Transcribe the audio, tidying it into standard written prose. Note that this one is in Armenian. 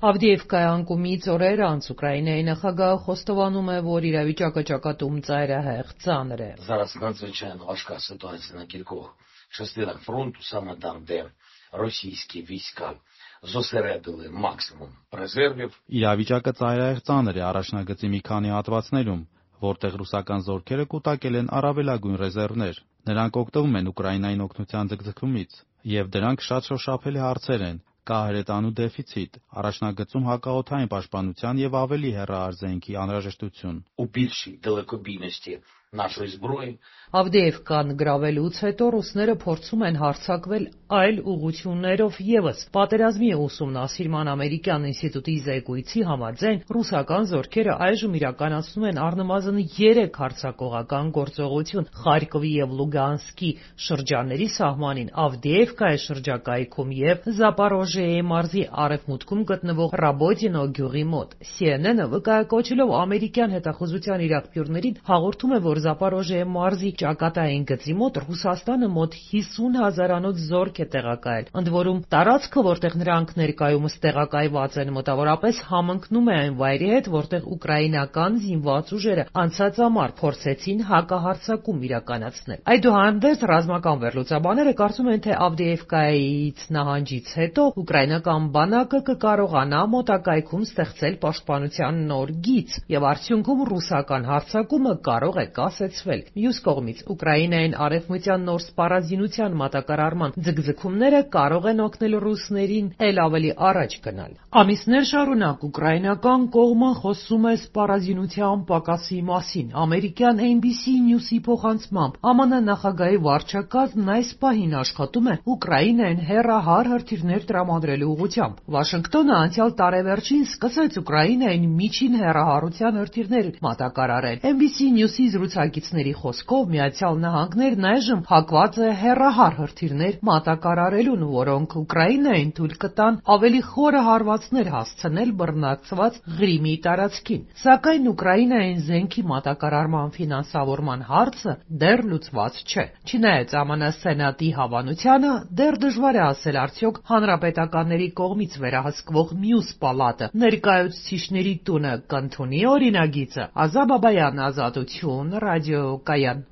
Ավդիևկայի անկումից օրեր անց Ուկրաինայի նախագահը խոստովանում է, որ իրավիճակը ճակատում ծայրահեղ ծանր է. Зараз надзвичайно важка ситуація на кількох частинах фронту, саме там, де російські війська зосередили максимум резервів. Իրավիճակը ծայրահեղ ծանր է առաջնագծի մի քանի հատվածներում, որտեղ ռուսական զորքերը կուտակել են առավելագույն ռեզերվներ։ Նրանք օգտվում են Ուկրաինային օգնության ձգձգումից, եւ դրանք շատ շոշափելի հարցեր են։ Կա հրետանու դեֆիցիտ, առաջնագծում հակաօդային պաշտպանության եւ ավելի հեռահար զենքի անհրաժեշտություն։ У більшій далекобійності нашої зброї. Ավդիևկան գրավելուց հետո ռուսները փորձում են հարձակվել այլ ուղղություններով եւս։ Պատերազմի ուսումնասիրման ամերիկյան ինստիտուտի զեկույցի համաձայն ռուսական զորքերը այժմ իրականացնում են առնվազն 3 հարձակողական գործողություն Խարկովի եւ Լուգանսկի շրջանների սահմանին, Ավդիևկայի շրջակայքում եւ Զապորոժիեի մարզի արևմուտքում գտնվող Ռաբոդինո գյուղի մոտ։ CNN-ը վկայակոչելով ամերիկյան հետախուզության իրավապյուրներին հաղորդում է, որ Զապորոժիեի մարզի ճակատային գծի մոտ Ռուսաստանը մոտ 50,000-անոց զորք է տեղակայել։ Ընդ որում տարածքը, որտեղ նրանք ներկայումս տեղակայված են, մոտավորապես համընկնում է այն վայրի հետ, որտեղ ուկրաինական զինված ուժերը անցած ամառ փորձեցին հակահարձակում իրականացնել։ Այդուհանդերձ ռազմական վերլուծաբանները կարծում են, թե Ավդիևկայից նահանջից հետո ուկրաինական բանակը կկարողանա մոտակայքում ստեղծել պաշտպանության նոր գիծ եւ արդյունքում ռուսական հարձակումը կարող է կասեցվել։ Մյուս կողմից Ուկրաինային արևմտյան նոր սպառազինության մատակարարման ձգձգումները կարող են օգնել ռուսներին էլ ավելի առաջ գնալ։ Ամիսներ շարունակ ուկրաինական կողմը խոսում է սպառազինության պակասի մասին։ Ամերիկյան NBC News-ի փոխանցմամբ ԱՄՆ նախագահի վարչակազմն այս պահին աշխատում է Ուկրաինային հեռահար հրթիռներ տրամադրելու ուղղությամբ։ Վաշինգտոնը անցյալ տարեվերջին սկսեց Ուկրաինային միջին հեռահարության հրթիռներ մատակարարել։ NBC News-ի զրուցակիցների խոսքով Միացյալ Նահանգներն այժմ հակված է հեռահար հրթիռներ մատակարարելուն, որոնք Ուկրաինային թույլ կտան ավելի խորը հարվածներ հասցնել բռնակցված Ղրիմի տարածքին։ Սակայն Ուկրաինային զենքի մատակարարման ֆինանսավորման հարցը դեռ լուծված չէ։ Չնայած ԱՄՆ Սենատի հավանությանը, դեռ դժվար է ասել արդյոք հանրապետականների կողմից վերահսկվող մյուս պալատը ներկայացուցիչների տունը կընդունի օրինագիծը։ Ազատ Բաբայան, Ազատություն, ռադիոկայան։